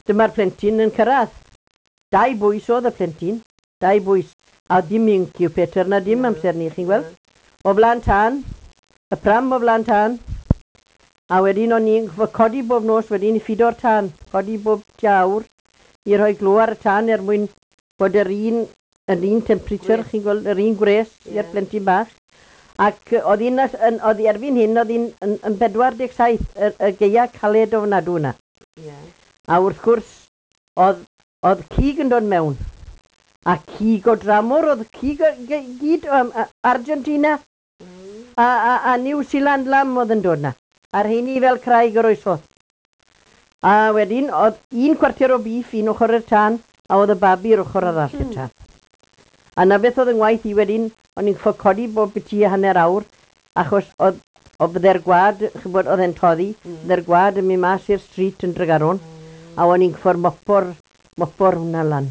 Dyma'r plentyn yn cyrraedd. 2 bwys oedd y plentyn, 2 bwys. A dim incubator na dim amser ni, chi'n gweld? O flaen tân, y pram o flaen tân. A wedyn o'n i'n codi bob nos wedyn i ffido'r tân, codi bob tua awr i rhoi glo ar y tân er mwyn bod yr un temperature, chi'n gweld, yr un gwres i'r plentyn bach. Ac oedd hi'n, oedd hi erbyn hyn, oedd hi'n yn 47, y gaea caled ofnadw yna. A wrth gwrs, oedd cig yn dod mewn. A cig o dramor, oedd cig o gyd o Argentina a New Zealand lamb oedd yn dod na. A'r rheini fel craig yr oesodd. A wedyn, oedd un cwarter o beef un ochr i'r tân, a oedd y babi yr ochr arall i'r tân. A na beth oedd yng ngwaith i wedyn, o'n i'n gorffod codi bob biti a hanner awr, achos oedd bydde'r gwad, ch'bod, oedd e'n toddi, bydde'r gwad yn mynd mas i'r street yn Tregaron, a o'n i'n gorffod mopo'r hwnna lan.